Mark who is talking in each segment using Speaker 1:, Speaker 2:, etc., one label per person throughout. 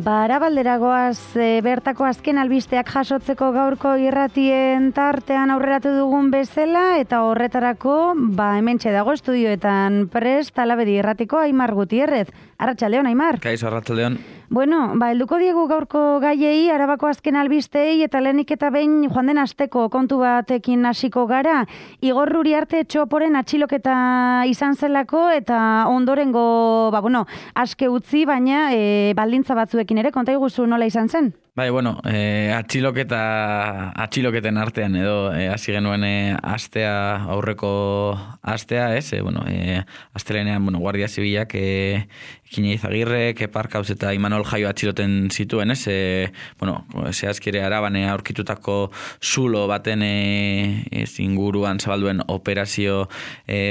Speaker 1: Arabalderagoaz bertako azken albisteak jasotzeko gaurko irratien tartean aurreratu dugun bezala, eta horretarako hementxe dago estudioetan prest Alabedi irratiko Aimar Gutierrez. Arratsaldeon, Aimar.
Speaker 2: Kaixo, arratsaldeon.
Speaker 1: Bueno, helduko diegu gaurko gaiei, Arabako azken albistei, eta lehenik eta behin joan den asteko kontu batekin hasiko gara. Igor Uriarte txoporen atxiloketa izan zelako, eta ondorengo, aske utzi, baina baldintza batzuekin ere, konta iguzu nola izan zen?
Speaker 2: Bai, atxiloketen artean edo hasi genuen aurreko astea, ez? Astelenean, Guardia Zibilak Kine Izagirre, Keparkauz eta Imanol Jaio atxiloten zituen, ez? Zehazkire Araban aurkitutako zulo baten inguruan zabalduen operazio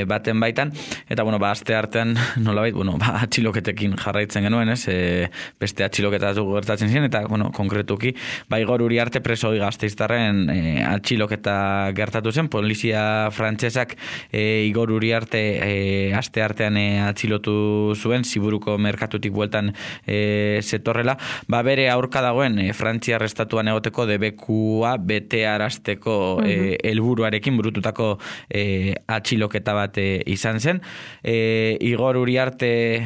Speaker 2: baten baitan, eta, aste artean, nolabait, atxiloketekin jarraitzen genuen, ez? Beste atxiloketa gertatzen ziren, eta, konkretuki, Igor Uriarte preso Gasteiztarren atxiloketa gertatu zen, polizia frantsesak Igor Uriarte aste artean atxilotu zuen, Ziburuko merkatutik bueltan zetorrela, bere aurka dagoen Frantziar estatuan egoteko debekua bete arazteko helburuarekin burututako atxiloketa bat izan zen. Igor Uriarte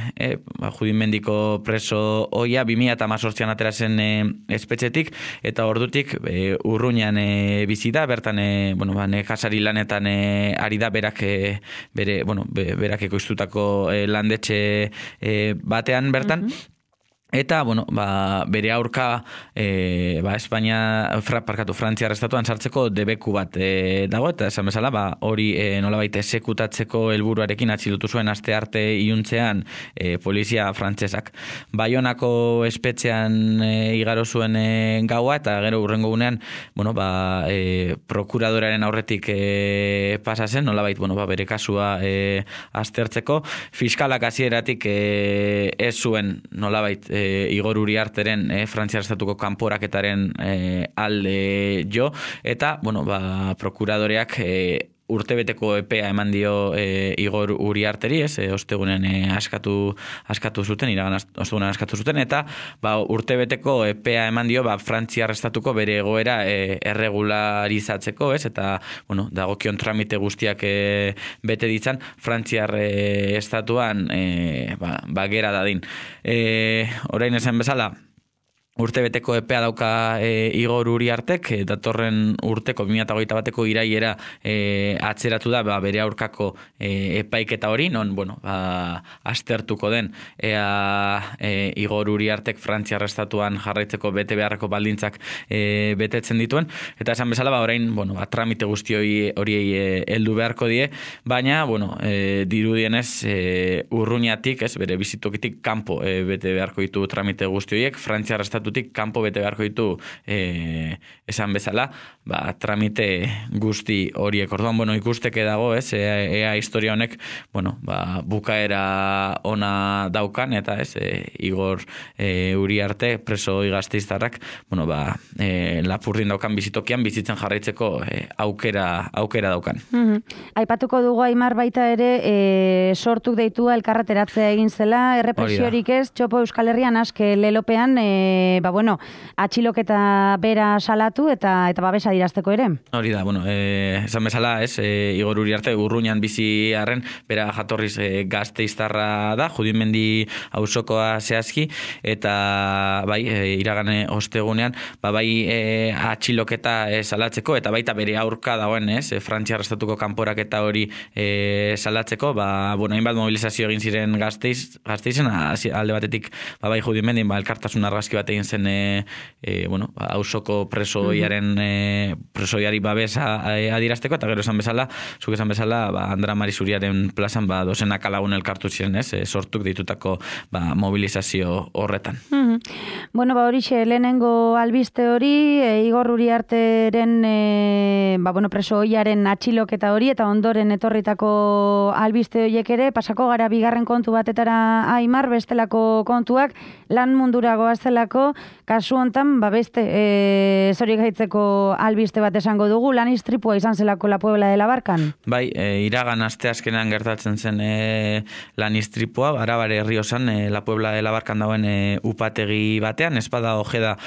Speaker 2: judimendiko preso oia 2018an atera zen espetxetik, eta ordutik Urruñan bizi da, bertan nekazari lanetan ari da, berak ekoiztutako landetxe batean bertan. Eta, bere aurka Frantziar estatuan sartzeko debeku bat dago, eta esan bezala, hori nolabait esekutatzeko helburuarekin atxilotu zuen aste arte iluntzean polizia frantsesak. Baionako espetxean igaro zuen gaua, eta gero hurrengo gunean, prokuradoraren aurretik pasa zen, nolabait, bere kasua aztertzeko. Fiskalak hasieratik ez zuen, nolabait, Igor Uriarteren Frantziar estatuko kanporaketaren alde jo, eta prokuradoreak urtebeteko epea eman dio Igor Uriarteri, ostegunen askatu zuten, iragan ostegunen askatu zuten, eta urtebeteko epea eman dio Frantziar estatuko bere egoera erregularizatzeko, eta dagokion tramite guztiak bete ditzan Frantziar estatuan gera dadin. Orain esan bezala, urtebeteko epea dauka Igor Uriartek, datorren urteko 2021ko iraiera atzeratu da bere aurkako epaiketa hori, non aztertuko den Igor Uriartek Frantziar estatuan jarraitzeko bete beharreko baldintzak betetzen dituen, eta esan bezala orain tramite guzti horiei heldu beharko die, baina dirudienez Urruñatik, bere bizitokitik kanpo bete beharko ditu tramite guzti horiek, Frantziar estatu kanpo bete beharko ditu esan bezala, tramite guzti horiek. Orduan, ikusteke dago, ea historia honek, bukaera ona daukan, eta Igor Uriarte preso Gasteiztarrak, Lapurdin daukan bizitokian bizitzen jarraitzeko aukera daukan.
Speaker 1: Aipatuko dugu, Aimar, baita ere sortuk deitua elkarreteratzea egin zela, errepresiorik ez, txopo Euskal Herrian aske lelopean atxiloketa bera salatu eta babesa dirazteko ere. Hori
Speaker 2: da, esan bezala, Igor Uriarte Urruñan bizi arren, bera jatorriz Gasteiztarra da, Judimendi auzokoa zehazki, eta iragane ostegunean, atxiloketa salatzeko, eta baita bere aurka dagoen, Frantziar estatuko kanporaketa hori salatzeko, hainbat mobilizazio egin ziren Gasteizen, alde batetik, Judimendi, elkartasun argazki bat egin zen auzoko presoiari babesa adirazteko, eta gero esan bezala, zuk esan bezala, Andra Marizuriaren plazan dozenak lagun elkartu ziren, sortuk ditutako mobilizazio horretan.
Speaker 1: Horixe, lehenengo albiste hori, Igor Uriarteren presoiaren atxiloketa hori, eta ondoren etorritako albiste horiek ere, pasako gara bigarren kontu batetara, Aimar, bestelako kontuak, lan mundura goazelako, kasu hontan, beste zori gaitzeko albiste bat esango dugu, lan istripua izan zelako La Puebla de la Barcan?
Speaker 2: Bai, iragan asteazkenean gertatzen zen lan istripua, Arabare Erriosan, La Puebla de la Barcan dauen upategi batean, espada ojeda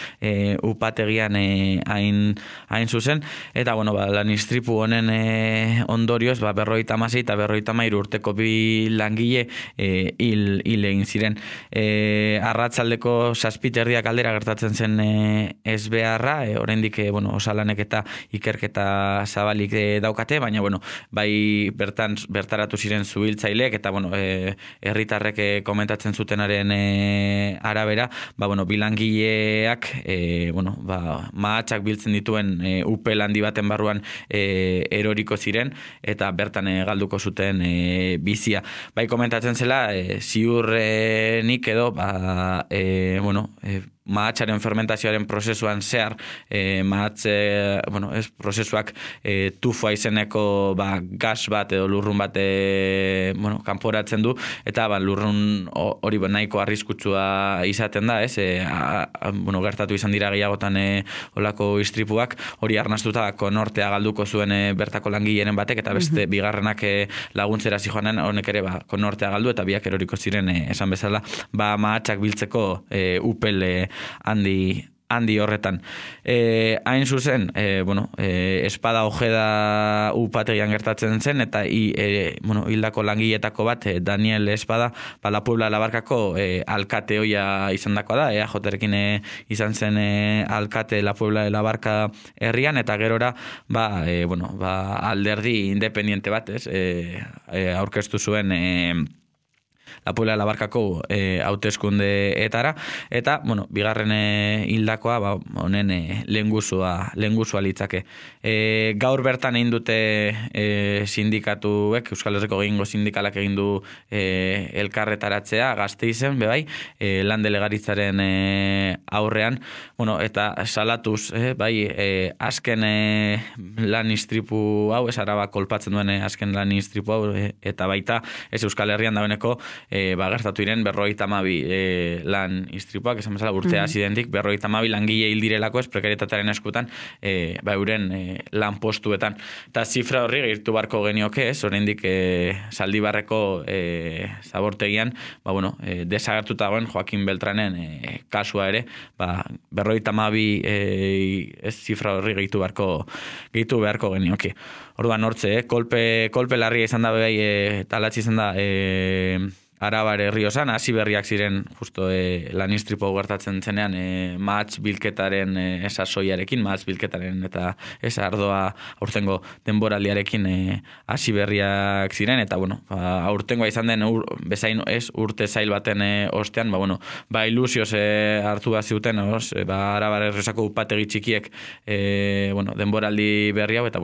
Speaker 2: upategian hain zuzen, eta lan istripu honen ondorioz, 56 eta 53 urteko bi langile hil egin ziren. Arratsaldeko 7:00 aldera gertatzen zen ezbeharra, oraindik osalanek eta ikerketa zabalik daukate, baina bai bertaratu ziren zuhiltzaileek eta herritarrek komentatzen zutenaren arabera, bi langileak mahatsak biltzen dituen upel handi baten barruan eroriko ziren eta bertan galduko zuten bizia. Bai komentatzen zela ziurrenik edo mahatsaren fermentazioaren prozesuan zehar prozesuak tufua izeneko gas bat edo lurrun bat kanporatzen du eta lurrun hori nahiko arriskutsua izaten da, gertatu izan dira gehiagotan olako istripuak, hori arnastuta konortea galduko zuen bertako langilearen batek eta beste bigarrenak laguntzera zijoanen honek ere konortea galdu eta biak eroriko ziren esan bezala mahatsak biltzeko upel handi horretan. Hain zuzen, espada ojeda upategian gertatzen zen, eta hildako langiletako bat, Daniel Espada, La Puebla de la Barcako alkate hoia izan dakoa da, EAJ-rekin izan zen alkate La Puebla de la Barca herrian, eta gerora, alderdi independiente bat, aurkeztu zuen La Puebla de la Barcako hauteskundeetara eta bigarren hildakoa honen lehengusua litzake. Gaur bertan egin dute sindikatuek, Euskal Herriko gehiengo sindikalak egin du elkarretaratzea Gasteizen bebai, lan delegaritzaren aurrean, eta salatuz azken lan istripu hau, Araba kolpatzen duen azken lan istripu hau, eta baita Euskal Herrian dagoeneko gertatu iren 52 lan istripuak, esan bezala urtea zidentik 52 langile hil direlako prekarietatearen eskutan euren lan postuetan. Eta zifra horri gehitu barko genioke, oraindik Zaldibarreko zabortegian desagertuta dagoen Joaquin Beltranen kasua ere, 52 zifra horri gehitu beharko genioke. Orduan hortze, kolpe larria izan da talatzi izan da Arabare Erriosan, hasi berriak ziren justo lan istripu gertatzen zenean mahats bilketaren sasoiarekin, mahats bilketaren eta ardoa aurtengo denboraldiarekin hasi berriak ziren, eta aurtengoa izan den bezain urte zail baten ostean, ilusioz hartu bat ziuten, Arabare Erriosako upategi txikiek denboraldi berri hau, eta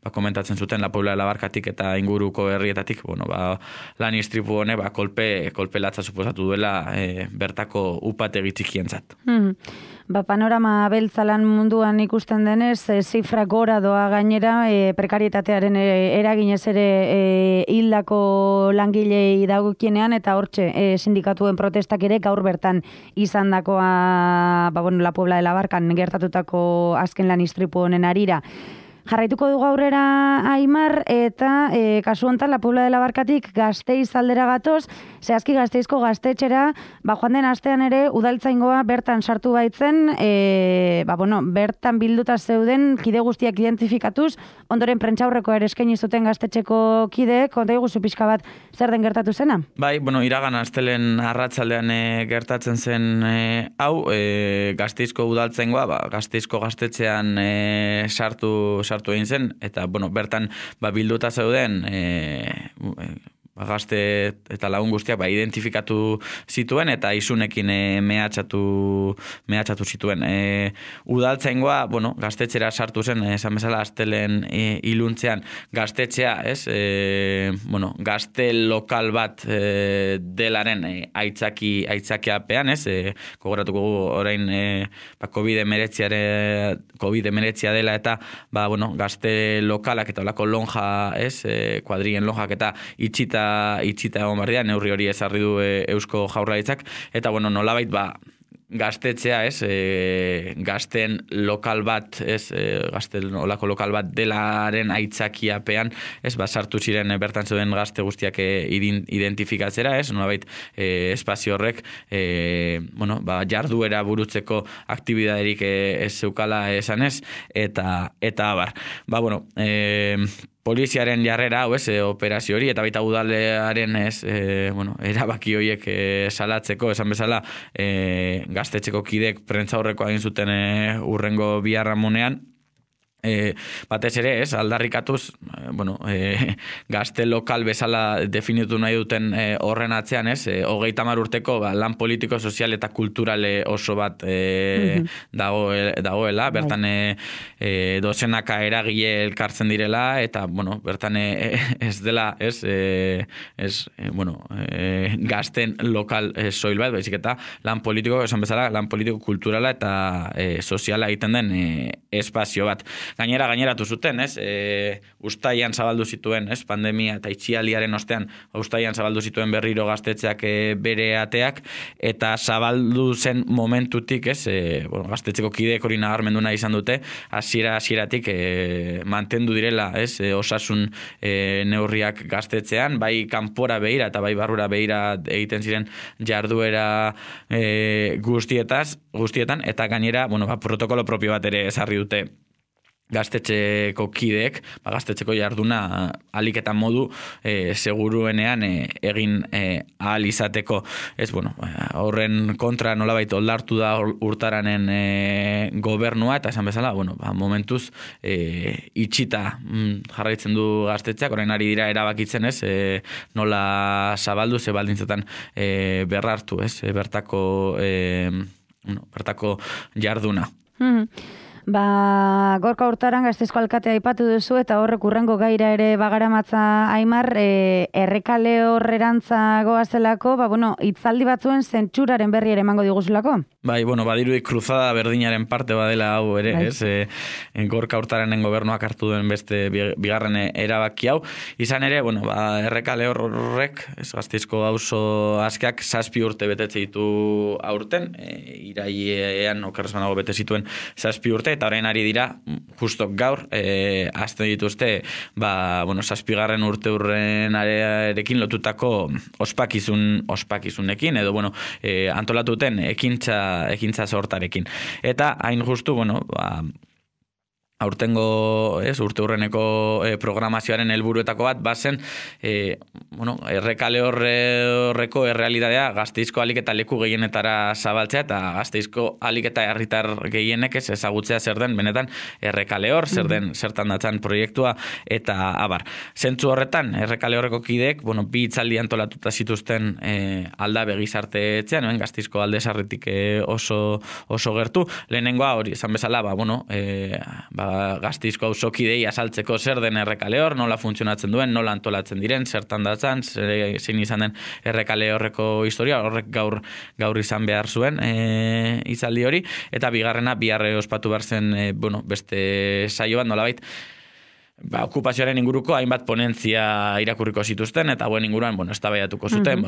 Speaker 2: komentatzen zuten La Puebla de la Barcatik eta inguruko herrietatik, lan istripu hone, kolpe latza suposatu duela bertako upategi txikientzat.
Speaker 1: Panorama beltzalan munduan ikusten denez, zifra gora doa gainera, prekarietatearen eraginez ere hildako langilei dagokienean, eta hortxe sindikatuen protestak ere gaur bertan izan dakoa La Puebla de la Barcan gertatutako azken lan istripu honen harira. Jarraituko dugu aurrera Aimar, eta kasu hontan La Puebla de la Barcatik Gasteiz aldera gatoz, zehazki Gasteizko gaztetxera, joan den astean ere udaltzaingoa bertan sartu baitzen, bertan bilduta zeuden kide guztiak identifikatuz, ondoren prentsaurreko ere eskaini zuten gaztetxeko kideek, konta iguzu pixka bat zer den gertatu zena?
Speaker 2: Bai, iragan astelen arratsaldean gertatzen zen hau, Gasteizko udaltzaingoa, Gasteizko gaztetxean sartu egin zen, eta bertan bilduta zeuden gazte eta lagun guztiak identifikatu zituen eta isunekin mehatxatu zituen. Udaltzaingoa, gaztetxera sartu zen, esan bezala astelen iluntzean gaztetxea, gazte lokal bat delaren aitzakiapean, gogoratuko orain COVID-19 dela eta gazte lokalak eta olako lonja, kuadrien lonjak eta itxita egon bardean, neurri hori ezarri du Eusko Jaurlaritzak, eta nolabait gaztetzea, ez, gazten lokal bat, ez, gazten olako lokal bat delaren aitzakiapean, ez, sartu ziren bertan zeuden gazte guztiak identifikatzera, ez, nolabait espazio horrek, jarduera burutzeko aktibidaderik ez zeukala esanez, eta abar. Poliziaren jarrera, operazio hori, eta baita udalearen erabaki horiek salatzeko, esan bezala, gaztetxeko kidek prentza horreko egin zuten urrengo biharramunean, batez ere, aldarrikatuz, gazte lokal bezala definitu nahi duten horren atzean, 30 urteko lan politiko, sozial eta kulturale oso bat dagoela, bertan dozenaka eragile elkartzen direla, eta, bertan ez dela, gazten lokal soil bat, baizik eta lan politiko, esan bezala, lan politiko kulturala eta soziala egiten den espazio bat. Gaineratu zuten, uztaian zabaldu zituen, pandemia eta itxialdiaren ostean, uztaian zabaldu zituen berriro gaztetxeak bere ateak, eta zabaldu zen momentutik, gaztetxeko kideek hori nabarmendu nahi izan dute, hasieratik mantendu direla, osasun neurriak gaztetxean, bai kanpora behira eta bai barrura behira egiten ziren jarduera guztietan, eta gainera, protokolo propio bat ere ezarri dute gaztetxeko kideek, gaztetxeko jarduna alik eta modu seguruenean egin ahal izateko. Horren kontra nolabait oldartu da urtaranen gobernua, eta esan bezala, momentuz itxita jarraitzen du gaztetxeak, orain ari dira erabakitzen, nola zabaldu, ze baldintzetan berrartu, bertako jarduna.
Speaker 1: Gorka Hurtaran Gasteizko alkatea aipatu duzu, eta horrek urrengo gaira ere bagaramatza Aimar, Errekale horrerantza goazelako, hitzaldi batzuen zentsuraren berri ere emango diguzulako?
Speaker 2: Bai, badirudi kruzada berdinaren parte badela hau ere, Gorka Hurtaranen gobernuak hartu duen beste bigarren erabaki hau. Izan ere, Errekale horrek, Gasteizko auzo askeak 7 urte betetze ditu aurten, irailean okerrezmanago bete zituen 7 urte, eta orain ari dira, justo gaur, azte dituzte, 7. urte urren arekin lotutako ospakizunekin, edo, antolatuten ekintza sortarekin. Eta, hain justu, aurtengo, urte urreneko programazioaren helburuetako bat, bazen, Errekale horreko errealitatea Gasteizko alik eta leku gehienetara zabaltzea, eta Gasteizko alik eta herritar gehienek ezagutzea zer den, benetan, Errekale hor, zertan datzan proiektua, eta abar. Zentzu horretan, Errekale horreko kideek, bi hitzaldi antolatuta zituzten Aldabe gizarte etxean, Gasteizko alde sarretik oso gertu. Lehenengoa hori, esan bezala, Gasteizko auzokidei azaltzeko zer den Errekale hor, nola funtzionatzen duen, nola antolatzen diren, zertan datzan, zein izan den Errekale horreko historia, horrek gaur izan behar zuen hitzaldi hori, eta bigarrena biharre ospatu behar zen beste saio bat, nolabait, okupazioaren inguruko hainbat ponentzia irakurriko zituzten, eta inguruan, eztabaidatuko zuten,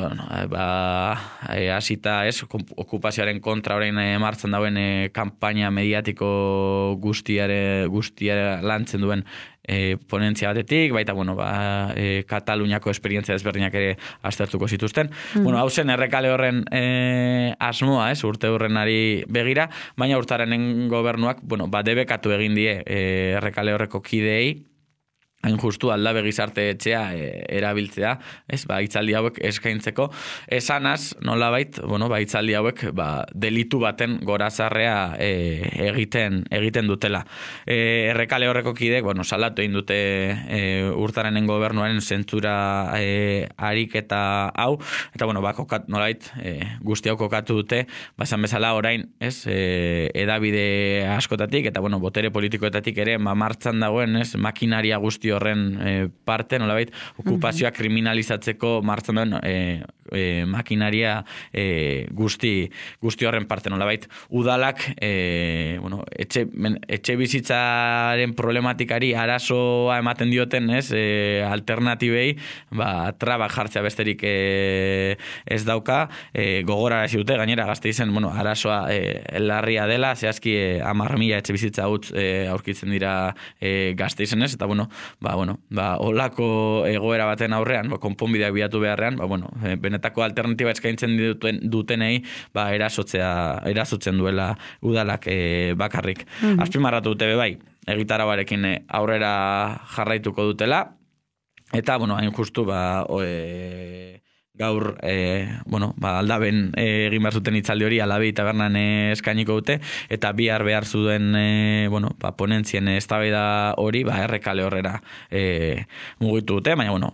Speaker 2: hasita okupazioaren kontra orain martxan dauen kanpaina mediatiko guztiare lantzen duen ponentzia batetik, baita, Kataluniako esperientzia desberdinak ere aztertuko zituzten. Hau zen Errekale horren asmoa, urte horrenari begira, baina Hurtaranen gobernuak, debekatu egin die Errekale horreko kideei, hain justu Aldabe gizarte etxea erabiltzea, hitzaldi hauek eskaintzeko, esanaz, nolabait, hitzaldi hauek delitu baten gorazarrea egiten dutela. Errekale horreko kideek, salatu egin dute Hurtaranen gobernuaren zentzura ariketa hau, eta, nolabait, guzti hau kokatu dute, esan bezala orain, edabide askotatik, eta, botere politikoetatik ere, martxan dagoen, makinaria guzti horren parte, nolabait, okupazioa kriminalizatzeko martzen duen makinaria guzti horren parte nolabait. Udalak etxe bizitzaren problematikari arazoa ematen dioten, ez, alternatibei, trabak jartzea besterik ez dauka, gogorarazi dute, gainera Gasteizen, arazoa larria dela, zehazki 10.000 etxe bizitza utz aurkitzen dira Gasteizen, ez, eta olako egoera baten aurrean, konponbideak bilatu beharrean, benetako alternatiba eskaintzen dutenei, erasotzen duela udalak bakarrik. Azpimarratu dute bai, egitarabarekin aurrera jarraituko dutela, eta, hain justu, gaur, aldaben egin behar zuten itzaldi hori, Alabei tabernan eskainiko dute, eta bihar behar zuen, ponentzien eztabaida hori, errekale horrera mugitu dute, baina,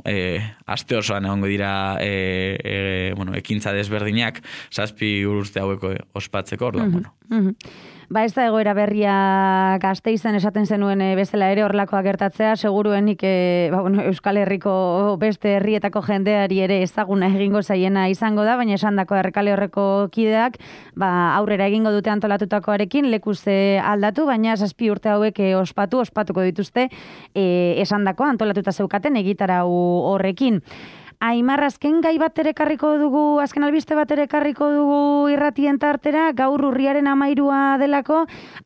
Speaker 2: aste osoan egongo dira, ekintza desberdinak, 7 urte haueko ospatzeko, orduan,
Speaker 1: Ez da egoera berria Gasteizen esaten zenuen bezala ere horlakoa gertatzea, seguruenik Euskal Herriko beste herrietako jendeari ere ezaguna egingo zaiena izango da, baina esandako errekale horreko kideak aurrera egingo dute antolatutakoarekin, lekuz aldatu, baina 7 urte hauek ospatuko dituzte esandako antolatuta zeukaten egitarau horrekin. Aimar, azken gai bat ere ekarriko dugu, azken albiste bat ere ekarriko dugu irratien tartera, gaur urriaren 13 delako,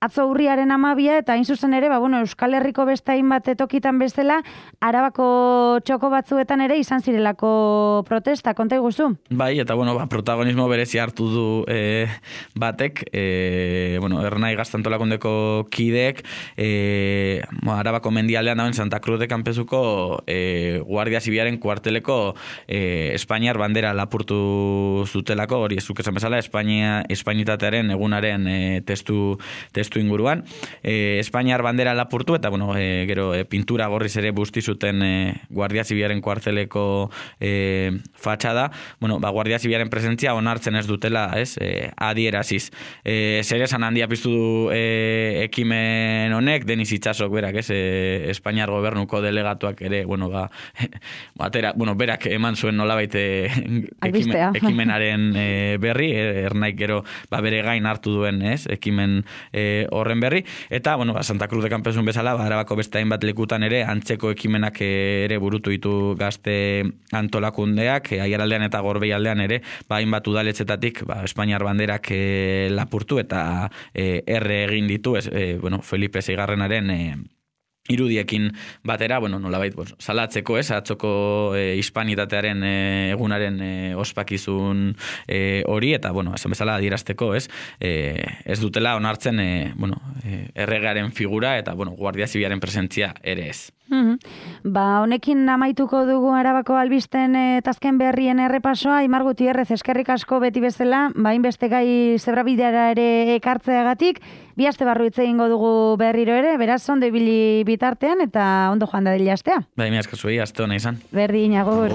Speaker 1: atzo urriaren 12 eta hain zuzen ere, Euskal Herriko beste hainbat tokitan bezala, Arabako txoko batzuetan ere izan zirelako protesta, konta iguzu?
Speaker 2: Bai, eta protagonismo berezi hartu du batek, Ernai Gaztantolakundeko kideek, Arabako mendialdean dauen Santa Cruz de Campezuko Guardia Zibilaren kuarteleko Espainiar bandera lapurtu zutelako, hori zuk esan bezala, Espainitatearen egunaren testu inguruan. Espainiar bandera lapurtu, eta gero pintura gorriz ere busti zuten Guardia Zibilaren kuarteleko fatxada, Guardia Zibilaren presentzia onartzen ez dutela, adieraziz. Zer esan handia piztu du ekimen honek, Denis Itsasok berak, Espainiar gobernuko delegatuak ere, berak eman zuen nolabait ekimenaren berri, Ernaik gero bere gain hartu duen ekimen horren berri, eta Santa Cruz de Campezun bezala, Arabako beste hainbat lekutan ere antzeko ekimenak ere burutu ditu gazte antolakundeak, Aiaraldean eta Gorbeialdean ere, hainbat udaletzetatik Espainiar banderak lapurtu eta erre egin ditu, Felipe Seigarrenaren irudiekin batera, nolabait, salatzeko, atzoko hispanitatearen egunaren ospakizun hori, eta, esan bezala adierazteko, ez dutela onartzen, erregearen figura, eta, Guardia Zibilaren presentzia ere ez.
Speaker 1: Honekin amaituko dugu Arabako albisten tazken berrien errepasoa, Aimar Gutierrez, eskerrik asko beti bezala, hainbeste gai zebrabideara ere ekartzeagatik, 2 aste barru hitz egingo dugu berriro ere, beraz ondo ibili bitartean eta ondo joan dadila astea.
Speaker 2: Mi asko zuei, aste hona izan.
Speaker 1: Berdin, agur.